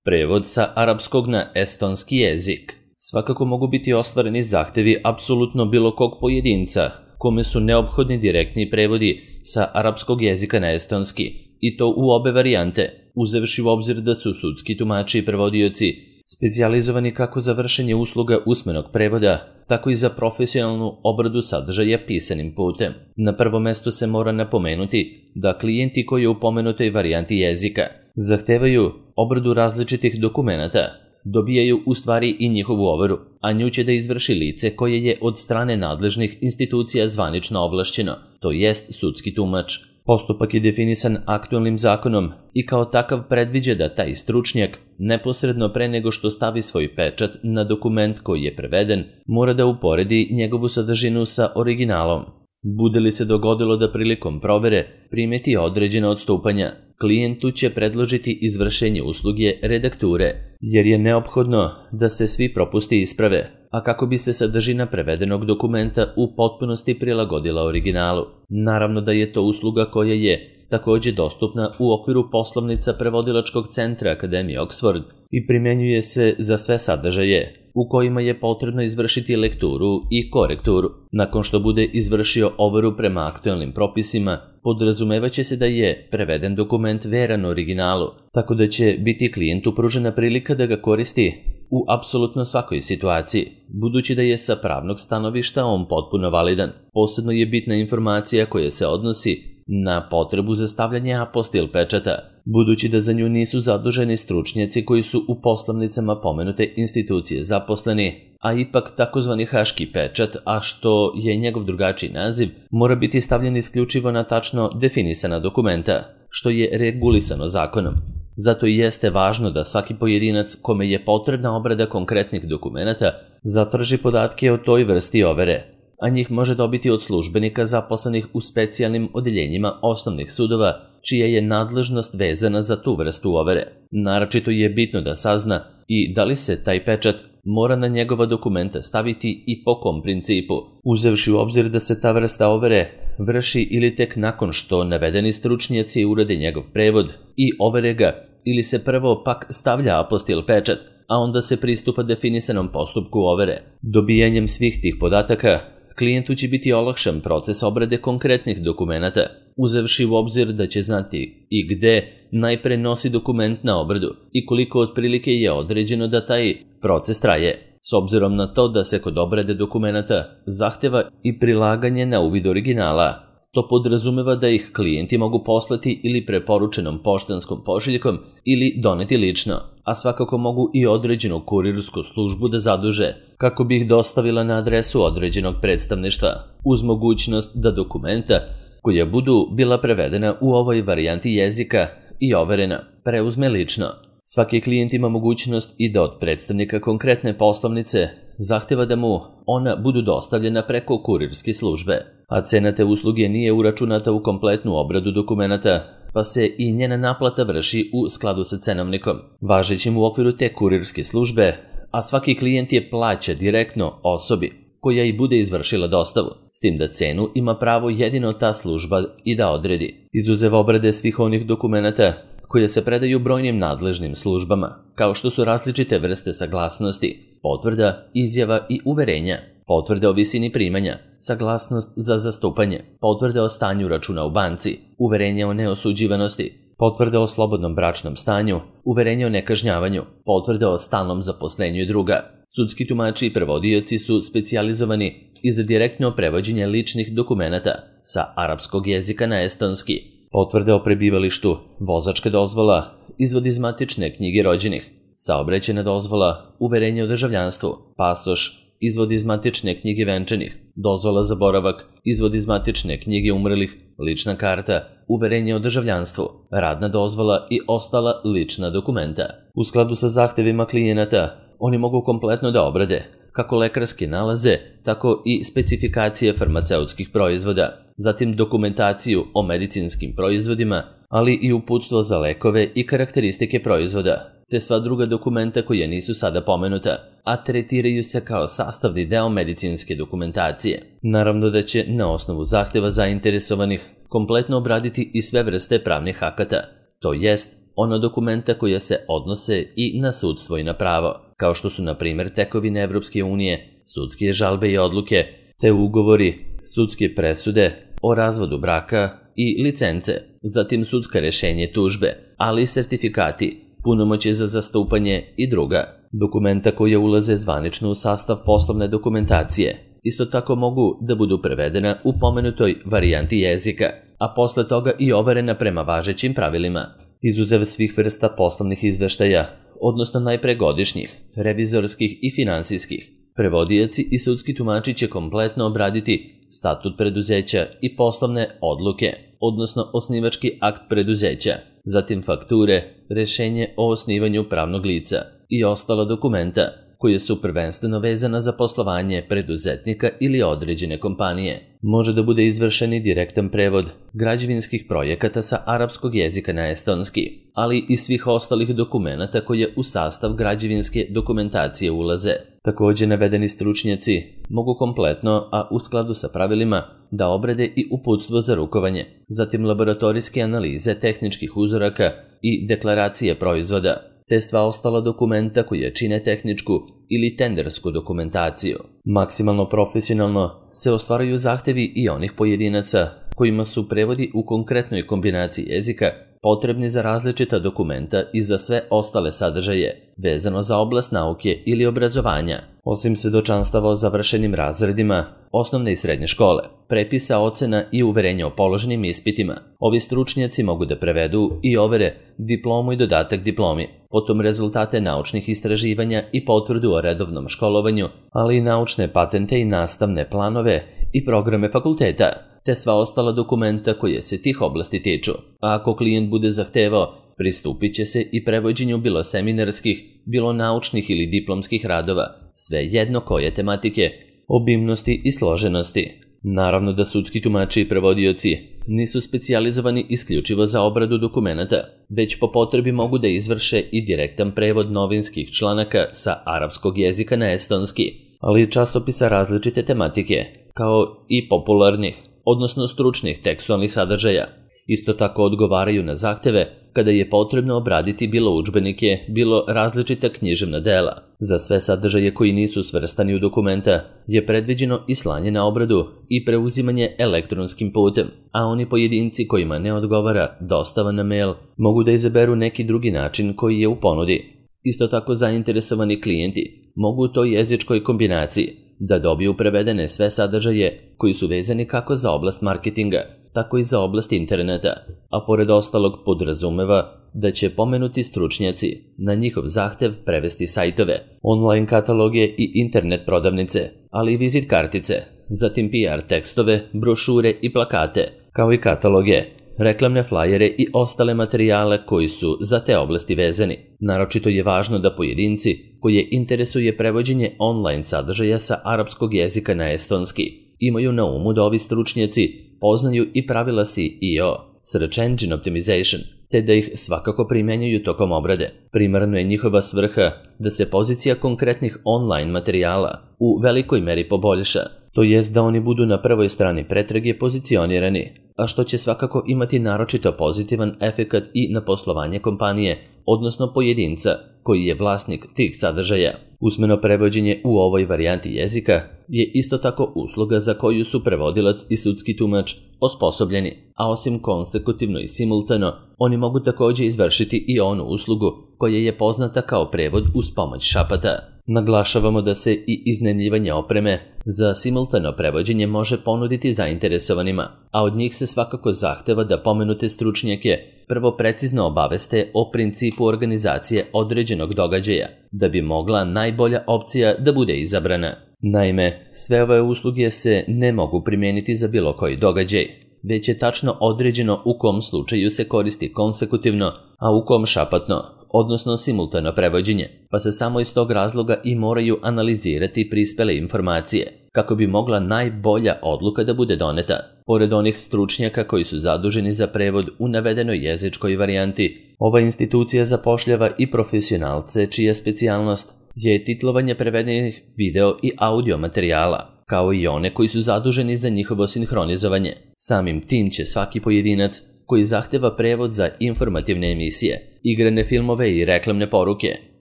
Prevod sa arapskog na estonski jezik. Svakako mogu biti ostvareni zahtevi apsolutno bilo kog pojedinca, kome su neophodni direktni prevodi sa arapskog jezika na estonski, i to u obe varijante, uzevši u obzir da su sudski tumači i prevodioci specijalizovani kako za vršenje usluga usmenog prevoda, tako i za profesionalnu obradu sadržaja pisanim putem. Na prvo mesto se mora napomenuti da klijenti koji u pomenutoj varijanti jezika zahtevaju obradu različitih dokumenata, dobijaju u stvari i njihovu overu, a nju će da izvrši lice koje je od strane nadležnih institucija zvanično ovlašćeno, to jest sudski tumač. Postupak je definisan aktualnim zakonom i kao takav predviđa da taj stručnjak, neposredno pre nego što stavi svoj pečat na dokument koji je preveden, mora da uporedi njegovu sadržinu sa originalom. Bude li se dogodilo da prilikom provere primeti određena odstupanja, klijentu će predložiti izvršenje usluge redakture, jer je neophodno da se svi propusti isprave, a kako bi se sadržina prevedenog dokumenta u potpunosti prilagodila originalu. Naravno da je to usluga koja je takođe dostupna u okviru poslovnica Prevodilačkog centra Akademije Oxford i primenjuje se za sve sadržaje u kojima je potrebno izvršiti lekturu i korekturu. Nakon što bude izvršio overu prema aktualnim propisima, podrazumevaće se da je preveden dokument veran originalu, tako da će biti klijentu pružena prilika da ga koristi u apsolutno svakoj situaciji, budući da je sa pravnog stanovišta on potpuno validan. Posebno je bitna informacija koja se odnosi na potrebu za stavljanje apostil pečata, budući da za nju nisu zaduženi stručnjaci koji su u poslovnicama pomenute institucije zaposleni, a ipak takozvani haški pečat, a što je njegov drugačiji naziv, mora biti stavljen isključivo na tačno definisana dokumenta, što je regulisano zakonom. Zato i jeste važno da svaki pojedinac kome je potrebna obrada konkretnih dokumenata zatraži podatke o toj vrsti overe, a njih može dobiti od službenika zaposlenih u specijalnim odeljenjima osnovnih sudova, čija je nadležnost vezana za tu vrstu overe. Naročito je bitno da sazna i da li se taj pečat mora na njegova dokumenta staviti i po kom principu, uzevši u obzir da se ta vrsta overe vrši ili tek nakon što navedeni stručnjaci urade njegov prevod i overe ga, ili se prvo pak stavlja apostil pečat, a onda se pristupa definisanom postupku overe. Dobijanjem svih tih podataka, klijentu će biti olakšan proces obrade konkretnih dokumenata, uzevši u obzir da će znati i gde najpre nosi dokument na obradu i koliko otprilike je određeno da taj proces traje, s obzirom na to da se kod obrade dokumenata zahteva i prilaganje na uvid originala. To podrazumeva da ih klijenti mogu poslati ili preporučenom poštanskom pošiljkom ili doneti lično, a svakako mogu i određenu kurirsku službu da zaduže, kako bi ih dostavila na adresu određenog predstavništva, uz mogućnost da dokumenta koja budu bila prevedena u ovoj varijanti jezika i overena preuzme lično. Svaki klijent ima mogućnost i da od predstavnika konkretne poslovnice zahteva da mu ona budu dostavljena preko kurirske službe, a cena te usluge nije uračunata u kompletnu obradu dokumenata, pa se i njena naplata vrši u skladu sa cenovnikom, važećim u okviru te kurirske službe, a svaki klijent je plaća direktno osobi koja i bude izvršila dostavu, s tim da cenu ima pravo jedino ta služba i da odredi, izuzev obrade svih onih dokumenata koje se predaju brojnim nadležnim službama, kao što su različite vrste saglasnosti, potvrda, izjava i uverenja, potvrde o visini primanja, saglasnost za zastupanje, potvrde o stanju računa u banci, uverenje o neosuđivanosti, potvrde o slobodnom bračnom stanju, uverenje o nekažnjavanju, potvrde o stalnom zaposlenju i druga. Sudski tumači i prevodioci su specijalizovani i za direktno prevođenje ličnih dokumenata sa arapskog jezika na estonski, potvrde o prebivalištu, vozačka dozvola, izvod iz matične knjige rođenih, saobraćajna dozvola, uverenje o državljanstvu, pasoš, izvod iz matične knjige venčanih, dozvola za boravak, izvod iz matične knjige umrlih, lična karta, uverenje o državljanstvu, radna dozvola i ostala lična dokumenta. U skladu sa zahtevima klijenata, oni mogu kompletno da obrade kako lekarske nalaze, tako i specifikacije farmaceutskih proizvoda, zatim dokumentaciju o medicinskim proizvodima, ali i uputstvo za lekove i karakteristike proizvoda, te sva druga dokumenta koja nisu sada pomenuta, a tretiraju se kao sastavni deo medicinske dokumentacije. Naravno da će na osnovu zahteva zainteresovanih kompletno obraditi i sve vrste pravnih akata, to jest ona dokumenta koja se odnose i na sudstvo i na pravo, kao što su na primjer tekovine Evropske unije, sudske žalbe i odluke, te ugovori, sudske presude o razvodu braka i licence, zatim sudska rešenje tužbe, ali i sertifikati, punomoćje za zastupanje i druga. Dokumenta koja ulaze zvanično u sastav poslovne dokumentacije isto tako mogu da budu prevedena u pomenutoj varijanti jezika, a posle toga i overena prema važećim pravilima, izuzev svih vrsta poslovnih izveštaja, odnosno najpre godišnjih, revizorskih i finansijskih. Prevodioci i sudski tumači će kompletno obraditi statut preduzeća i poslovne odluke, odnosno osnivački akt preduzeća, zatim fakture, rešenje o osnivanju pravnog lica i ostala dokumenta koje su prvenstveno vezana za poslovanje preduzetnika ili određene kompanije. Može da bude izvršen i direktan prevod građevinskih projekata sa arapskog jezika na estonski, ali i svih ostalih dokumenata koje u sastav građevinske dokumentacije ulaze. Također navedeni stručnjaci mogu kompletno, a u skladu sa pravilima, da obrade i uputstvo za rukovanje, zatim laboratorijske analize tehničkih uzoraka i deklaracije proizvoda, te sva ostala dokumenta koje čine tehničku ili tendersku dokumentaciju. Maksimalno profesionalno se ostvaraju zahtevi i onih pojedinaca kojima su prevodi u konkretnoj kombinaciji jezika potrebni za različita dokumenta i za sve ostale sadržaje, vezano za oblast nauke ili obrazovanja, osim svedočanstava o završenim razredima osnovne i srednje škole, prepisa, ocena i uverenja o položenim ispitima. Ovi stručnjaci mogu da prevedu i overe diplomu i dodatak diplomi, potom rezultate naučnih istraživanja i potvrdu o redovnom školovanju, ali i naučne patente i nastavne planove i programe fakulteta, te sva ostala dokumenta koje se tih oblasti tiču. A ako klijent bude zahtevao, pristupit će se i prevođenju bilo seminarskih, bilo naučnih ili diplomskih radova, sve jedno koje tematike, obimnosti i složenosti. Naravno da sudski tumači i prevodioci nisu specijalizovani isključivo za obradu dokumenata, već po potrebi mogu da izvrše i direktan prevod novinskih članaka sa arapskog jezika na estonski, ali i časopisa različite tematike, kao i popularnih, odnosno stručnih tekstualnih sadržaja. Isto tako odgovaraju na zahteve kada je potrebno obraditi bilo udžbenike, bilo različita književna dela. Za sve sadržaje koji nisu svrstani u dokumenta je predviđeno i slanje na obradu i preuzimanje elektronskim putem, a oni pojedinci kojima ne odgovara dostava na mail mogu da izaberu neki drugi način koji je u ponudi. Isto tako zainteresovani klijenti mogu u toj jezičkoj kombinaciji da dobiju prevedene sve sadržaje koji su vezani kako za oblast marketinga, tako i za oblast interneta, a pored ostalog podrazumeva da će pomenuti stručnjaci na njihov zahtev prevesti sajtove, online kataloge i internet prodavnice, ali i vizit kartice, zatim PR tekstove, brošure i plakate, kao i kataloge, reklamne flajere i ostale materijale koji su za te oblasti vezani. Naročito je važno da pojedinci koje interesuje prevođenje online sadržaja sa arapskog jezika na estonski imaju na umu da ovi stručnjaci poznaju i pravila SEO, Search Engine Optimization, te da ih svakako primenjuju tokom obrade. Primarno je njihova svrha da se pozicija konkretnih online materijala u velikoj meri poboljša, to jest da oni budu na prvoj strani pretrage pozicionirani, a što će svakako imati naročito pozitivan efekat i na poslovanje kompanije, odnosno pojedinca koji je vlasnik tih sadržaja. Usmeno prevođenje u ovoj varijanti jezika je isto tako usluga za koju su prevodilac i sudski tumač osposobljeni, a osim konsekutivno i simultano, oni mogu također izvršiti i onu uslugu koja je poznata kao prevod uz pomoć šapata. Naglašavamo da se i iznajmljivanje opreme za simultano prevođenje može ponuditi zainteresovanima, a od njih se svakako zahteva da pomenute stručnjake prvo precizno obaveste o principu organizacije određenog događaja, da bi mogla najbolja opcija da bude izabrana. Naime, sve ove usluge se ne mogu primijeniti za bilo koji događaj, već je tačno određeno u kom slučaju se koristi konsekutivno, a u kom šapatno, odnosno simultano prevođenje, pa se samo iz tog razloga i moraju analizirati prispele informacije, kako bi mogla najbolja odluka da bude doneta. Pored onih stručnjaka koji su zaduženi za prevod u navedenoj jezičkoj varijanti, ova institucija zapošljava i profesionalce čija specijalnost je titlovanje prevedenih video i audio materijala, kao i one koji su zaduženi za njihovo sinhronizovanje. Samim tim će svaki pojedinac koji zahteva prevod za informativne emisije, igrane filmove i reklamne poruke,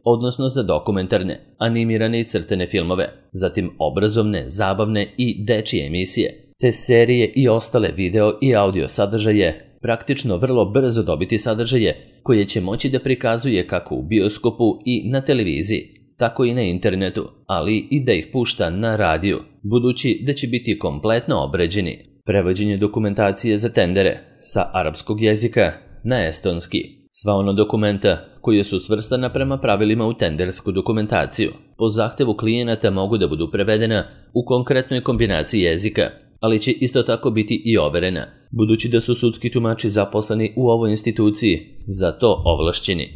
odnosno za dokumentarne, animirane i crtene filmove, zatim obrazovne, zabavne i dečije emisije, te serije i ostale video i audio sadržaje, praktično vrlo brzo dobiti sadržaje koje će moći da prikazuje kako u bioskopu i na televiziji, tako i na internetu, ali i da ih pušta na radiju, budući da će biti kompletno obrađeni. Prevođenje dokumentacije za tendere sa arapskog jezika na estonski. Sva ona dokumenta koja su svrstana prema pravilima u tendersku dokumentaciju po zahtevu klijenata mogu da budu prevedena u konkretnoj kombinaciji jezika, ali će isto tako biti i overena, budući da su sudski tumači zaposleni u ovoj instituciji za to ovlašćeni.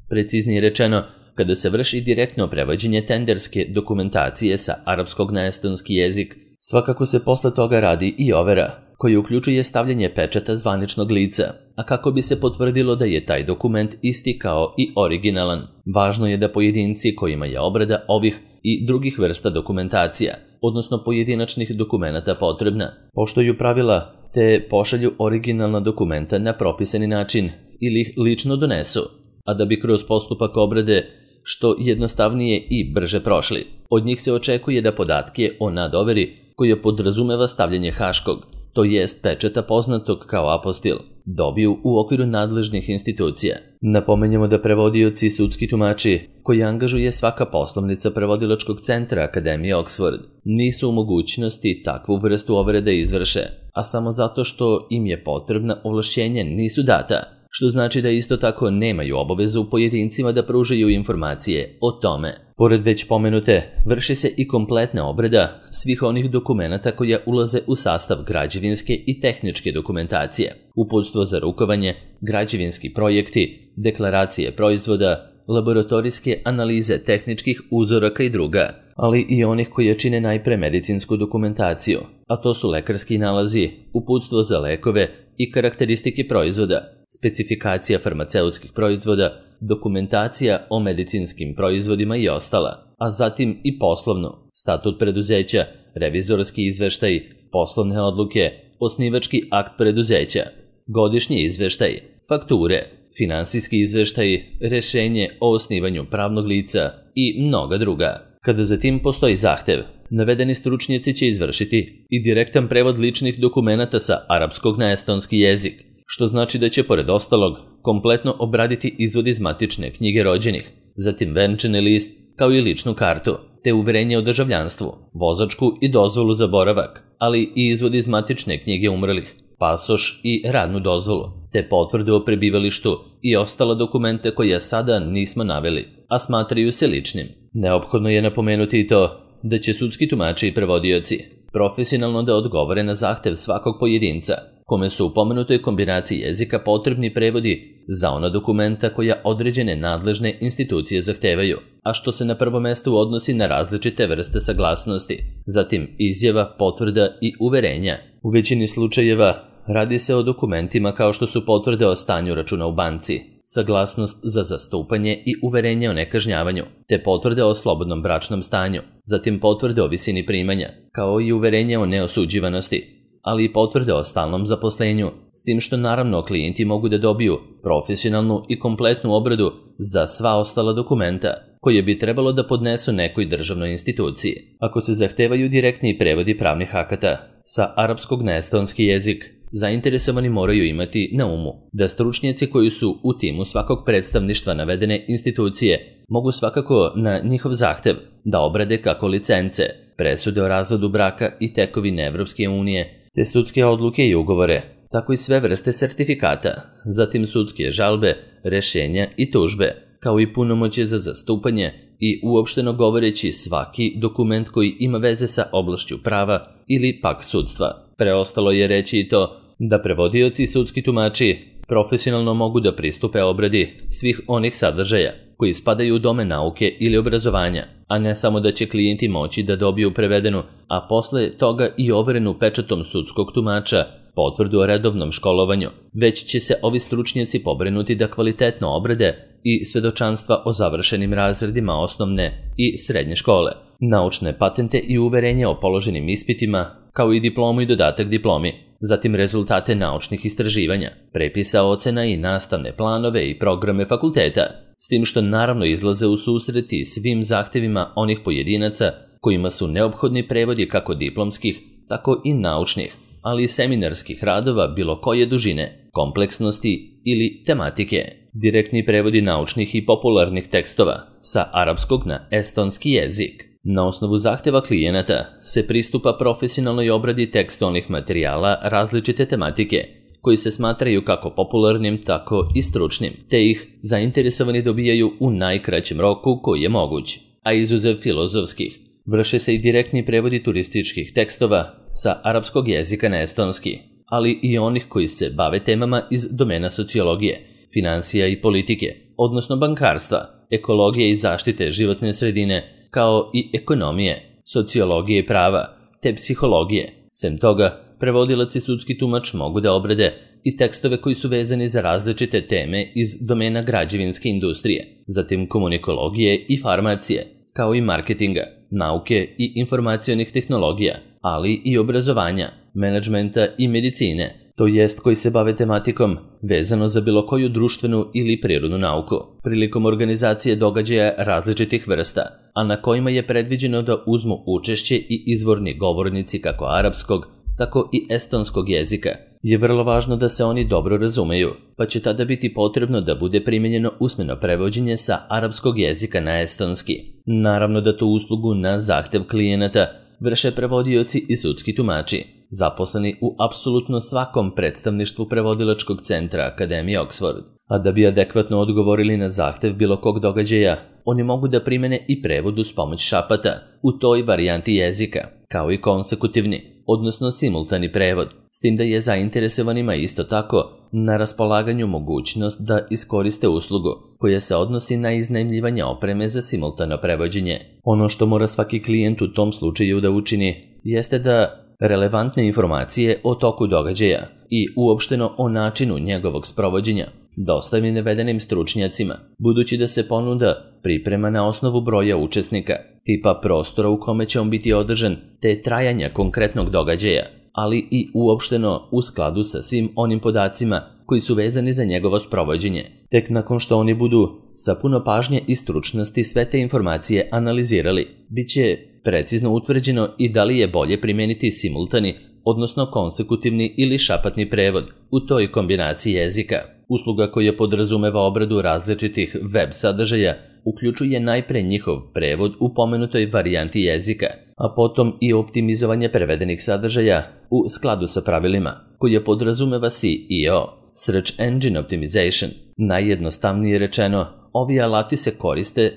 Preciznije rečeno, kada se vrši direktno prevođenje tenderske dokumentacije sa arapskog na estonski jezik, svakako se posle toga radi i overa, koja uključuje stavljanje pečata zvaničnog lica, a kako bi se potvrdilo da je taj dokument isti kao i originalan. Važno je da pojedinci kojima je obrada ovih i drugih vrsta dokumentacija, odnosno pojedinačnih dokumenata potrebna, poštuju pravila te pošalju originalna dokumenta na propisani način ili ih lično donesu, a da bi kroz postupak obrade što jednostavnije i brže prošli. Od njih se očekuje da podatke o nadoveri, koja podrazumeva stavljanje haškog, to jest pečeta poznatog kao apostil, dobiju u okviru nadležnih institucija. Napomenjamo da prevodioci i sudski tumači, koji angažuje svaka poslovnica prevodilačkog centra Akademije Oxford, nisu u mogućnosti takvu vrstu overe da izvrše, a samo zato što im je potrebna ovlašćenja nisu data, što znači da isto tako nemaju obavezu pojedincima da pružaju informacije o tome. Pored već pomenute, vrši se i kompletna obrada svih onih dokumenata koja ulaze u sastav građevinske i tehničke dokumentacije, uputstvo za rukovanje, građevinski projekti, deklaracije proizvoda, laboratorijske analize tehničkih uzoraka i druga, ali i onih koje čine najpre medicinsku dokumentaciju, a to su lekarski nalazi, uputstvo za lekove i karakteristike proizvoda, specifikacija farmaceutskih proizvoda, dokumentacija o medicinskim proizvodima i ostala, a zatim i poslovno, statut preduzeća, revizorski izveštaj, poslovne odluke, osnivački akt preduzeća, godišnji izveštaj, fakture, finansijski izveštaj, rešenje o osnivanju pravnog lica i mnoga druga. Kada zatim postoji zahtev, navedeni stručnjaci će izvršiti i direktan prevod ličnih dokumenata sa arapskog na estonski jezik, što znači da će pored ostalog kompletno obraditi izvod iz matične knjige rođenih, zatim venčani list kao i ličnu kartu, te uverenje o državljanstvu, vozačku i dozvolu za boravak, ali i izvod iz matične knjige umrlih, pasoš i radnu dozvolu, te potvrdu o prebivalištu i ostala dokumenta koja sada nismo naveli, a smatraju se ličnim. Neophodno je napomenuti i to da će sudski tumači i prevodioci profesionalno da odgovore na zahtev svakog pojedinca, kome su u pomenutoj kombinaciji jezika potrebni prevodi za ona dokumenta koja određene nadležne institucije zahtevaju, a što se na prvo mesto odnosi na različite vrste saglasnosti, zatim izjava, potvrda i uverenja. U većini slučajeva radi se o dokumentima kao što su potvrde o stanju računa u banci, saglasnost za zastupanje i uverenje o nekažnjavanju, te potvrde o slobodnom bračnom stanju, zatim potvrde o visini primanja, kao i uverenje o neosuđivanosti, ali i potvrde o stalnom zaposlenju, s tim što naravno klijenti mogu da dobiju profesionalnu i kompletnu obradu za sva ostala dokumenta, koje bi trebalo da podnesu nekoj državnoj instituciji. Ako se zahtevaju direktni prevodi pravnih akata sa arapskog na estonski jezik, zainteresovani moraju imati na umu da stručnjaci koji su u timu svakog predstavništva navedene institucije mogu svakako na njihov zahtev da obrade kako licence, presude o razvodu braka i tekovine Evropske unije, te sudske odluke i ugovore, tako i sve vrste sertifikata, zatim sudske žalbe, rešenja i tužbe, kao i punomoćje za zastupanje i uopšteno govoreći svaki dokument koji ima veze sa oblašću prava ili pak sudstva. Preostalo je reći i to da prevodioci i sudski tumači profesionalno mogu da pristupe obradi svih onih sadržaja koji spadaju u domen nauke ili obrazovanja, a ne samo da će klijenti moći da dobiju prevedenu, a posle toga i overenu pečatom sudskog tumača potvrdu o redovnom školovanju, već će se ovi stručnjaci pobrinuti da kvalitetno obrade i svedočanstva o završenim razredima osnovne i srednje škole, naučne patente i uverenje o položenim ispitima, kao i diplomu i dodatak diplomi, zatim rezultate naučnih istraživanja, prepisa ocena i nastavne planove i programe fakulteta, s tim što naravno izlaze u susreti svim zahtevima onih pojedinaca kojima su neophodni prevodi kako diplomskih, tako i naučnih, ali i seminarskih radova bilo koje dužine, kompleksnosti ili tematike. Direktni prevodi naučnih i popularnih tekstova sa arapskog na estonski jezik. Na osnovu zahteva klijenata se pristupa profesionalnoj obradi tekstualnih materijala različite tematike, koji se smatraju kako popularnim, tako i stručnim, te ih zainteresovani dobijaju u najkraćem roku koji je moguć, a izuzev filozofskih. Vrše se i direktni prevodi turističkih tekstova sa arapskog jezika na estonski, ali i onih koji se bave temama iz domena sociologije, financija i politike, odnosno bankarstva, ekologije i zaštite životne sredine, kao i ekonomije, sociologije i prava, te psihologije. Sem toga, prevodilac i sudski tumač mogu da obrade i tekstove koji su vezani za različite teme iz domena građevinske industrije, zatim komunikologije i farmacije, kao i marketinga, nauke i informacionih tehnologija, ali i obrazovanja, menadžmenta i medicine, to jest koji se bave tematikom vezano za bilo koju društvenu ili prirodnu nauku, prilikom organizacije događaja različitih vrsta, a na kojima je predviđeno da uzmu učešće i izvorni govornici kako arapskog, tako i estonskog jezika. Je vrlo važno da se oni dobro razumeju, pa će tada biti potrebno da bude primijenjeno usmeno prevođenje sa arapskog jezika na estonski. Naravno da tu uslugu na zahtev klijenata vrše prevodioci i sudski tumači, zaposleni u apsolutno svakom predstavništvu prevodilačkog centra Akademije Oxford. A da bi adekvatno odgovorili na zahtev bilo kog događaja, oni mogu da primene i prevod uz pomoć šapata u toj varijanti jezika, kao i konsekutivni, odnosno simultani prevod, s tim da je zainteresovanima isto tako na raspolaganju mogućnost da iskoriste uslugu koja se odnosi na iznajmljivanje opreme za simultano prevođenje. Ono što mora svaki klijent u tom slučaju da učini jeste da relevantne informacije o toku događaja i uopšteno o načinu njegovog sprovođenja dostavi navedenim stručnjacima, budući da se ponuda priprema na osnovu broja učesnika, tipa prostora u kome će on biti održan, te trajanja konkretnog događaja, ali i uopšteno u skladu sa svim onim podacima koji su vezani za njegovo sprovođenje. Tek nakon što oni budu sa puno pažnje i stručnosti sve te informacije analizirali, bit će precizno utvrđeno i da li je bolje primijeniti simultani, odnosno konsekutivni ili šapatni prevod u toj kombinaciji jezika. Usluga koja podrazumeva obradu različitih web sadržaja uključuje najpre njihov prevod u pomenutoj varijanti jezika, a potom i optimizovanje prevedenih sadržaja u skladu sa pravilima, koje podrazumeva SEO, Search Engine Optimization. Najjednostavnije rečeno, ovi alati se koriste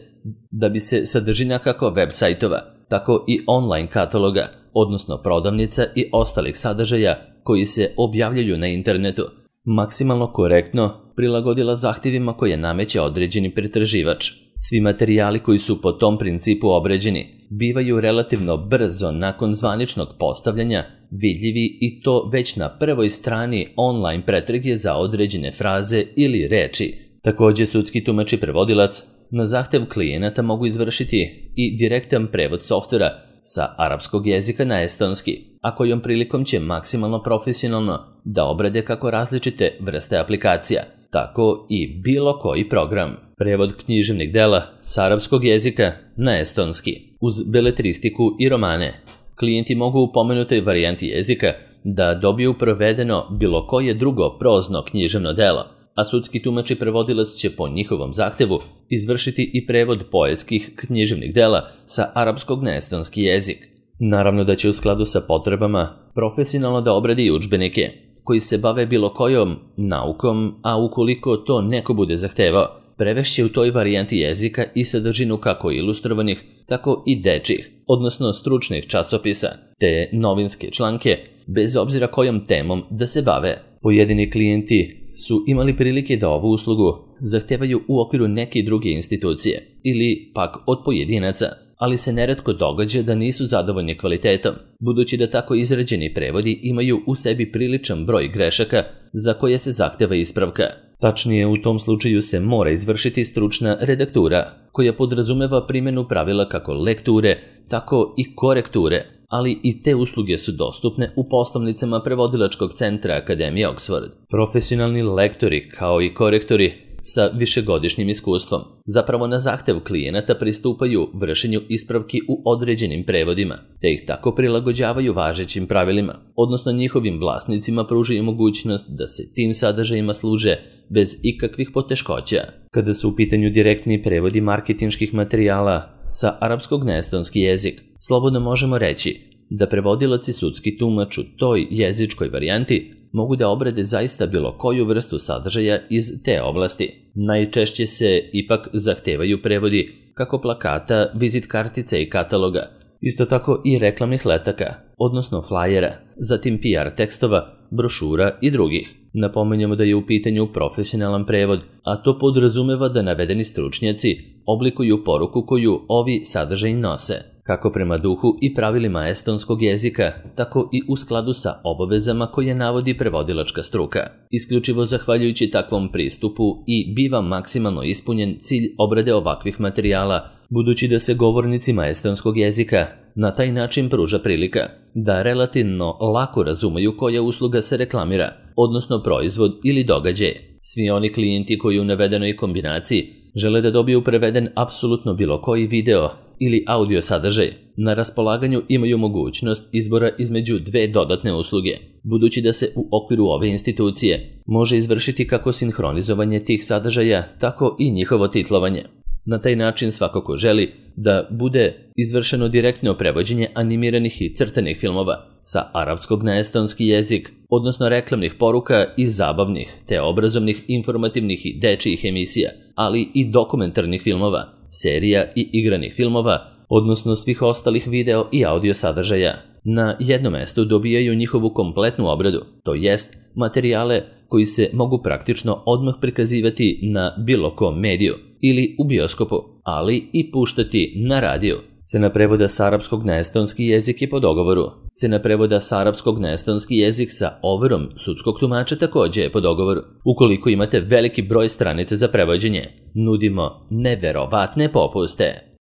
da bi se sadržina kako web sajtova, tako i online kataloga, odnosno prodavnica i ostalih sadržaja koji se objavljaju na internetu, maksimalno korektno prilagodila zahtjevima koje nameće određeni pretraživač. Svi materijali koji su po tom principu obrađeni bivaju relativno brzo nakon zvaničnog postavljanja vidljivi i to već na prvoj strani online pretrage za određene fraze ili reči. Također sudski tumač i prevodilac na zahtev klijenata mogu izvršiti i direktan prevod softvera sa arapskog jezika na estonski, a kojom prilikom će maksimalno profesionalno da obrade kako različite vrste aplikacija, tako i bilo koji program. Prevod književnih dela sa arapskog jezika na estonski, uz beletristiku i romane. Klijenti mogu u pomenutoj varijanti jezika da dobiju prevedeno bilo koje drugo prozno književno delo, a sudski tumač i prevodilac će po njihovom zahtevu izvršiti i prevod poetskih književnih dela sa arapskog na estonski jezik. Naravno da će u skladu sa potrebama profesionalno da obradi i udžbenike koji se bave bilo kojom naukom, a ukoliko to neko bude zahtevao, prevešće u toj varijanti jezika i sadržinu kako ilustrovanih, tako i dečjih, odnosno stručnih časopisa, te novinske članke, bez obzira kojom temom da se bave. Pojedini klijenti su imali prilike da ovu uslugu zahtevaju u okviru neke druge institucije ili pak od pojedinaca, ali se neretko događa da nisu zadovoljni kvalitetom, budući da tako izrađeni prevodi imaju u sebi priličan broj grešaka za koje se zahteva ispravka. Tačnije, u tom slučaju se mora izvršiti stručna redaktura, koja podrazumeva primjenu pravila kako lekture, tako i korekture, ali i te usluge su dostupne u poslovnicama prevodilačkog centra Akademije Oxford. Profesionalni lektori kao i korektori sa višegodišnjim iskustvom zapravo na zahtev klijenata pristupaju vršenju ispravki u određenim prevodima, te ih tako prilagođavaju važećim pravilima, odnosno njihovim vlasnicima pružaju mogućnost da se tim sadržajima služe bez ikakvih poteškoća. Kada su u pitanju direktni prevodi marketinških materijala sa arapskog na estonski jezik, slobodno možemo reći da prevodilac i sudski tumač u toj jezičkoj varijanti mogu da obrade zaista bilo koju vrstu sadržaja iz te oblasti. Najčešće se ipak zahtevaju prevodi kako plakata, vizit kartice i kataloga, isto tako i reklamnih letaka, odnosno flajera, zatim PR tekstova, brošura i drugih. Napominjemo da je u pitanju profesionalan prevod, a to podrazumeva da navedeni stručnjaci oblikuju poruku koju ovi sadržaji nose, kako prema duhu i pravilima estonskog jezika, tako i u skladu sa obavezama koje navodi prevodilačka struka. Isključivo zahvaljujući takvom pristupu i biva maksimalno ispunjen cilj obrade ovakvih materijala, budući da se govornicima estonskog jezika na taj način pruža prilika da relativno lako razumeju koja usluga se reklamira, odnosno proizvod ili događaj. Svi oni klijenti koji u navedenoj kombinaciji žele da dobiju preveden apsolutno bilo koji video ili audio sadržaj, na raspolaganju imaju mogućnost izbora između dve dodatne usluge, budući da se u okviru ove institucije može izvršiti kako sinhronizovanje tih sadržaja, tako i njihovo titlovanje. Na taj način svako ko želi da bude izvršeno direktno prevođenje animiranih i crtanih filmova sa arapskog na estonski jezik, odnosno reklamnih poruka i zabavnih, te obrazovnih, informativnih i dečijih emisija, ali i dokumentarnih filmova, serija i igranih filmova, odnosno svih ostalih video i audio sadržaja. Na jednom mestu dobijaju njihovu kompletnu obradu, to jest materijale koji se mogu praktično odmah prikazivati na bilo kom mediju ili u bioskopu, ali i puštati na radiju. Cena prevoda sa arapskog na estonski jezik je po dogovoru. Cena prevoda sa arapskog na estonski jezik sa overom sudskog tumača takođe je po dogovoru. Ukoliko imate veliki broj stranica za prevođenje, nudimo neverovatne popuste.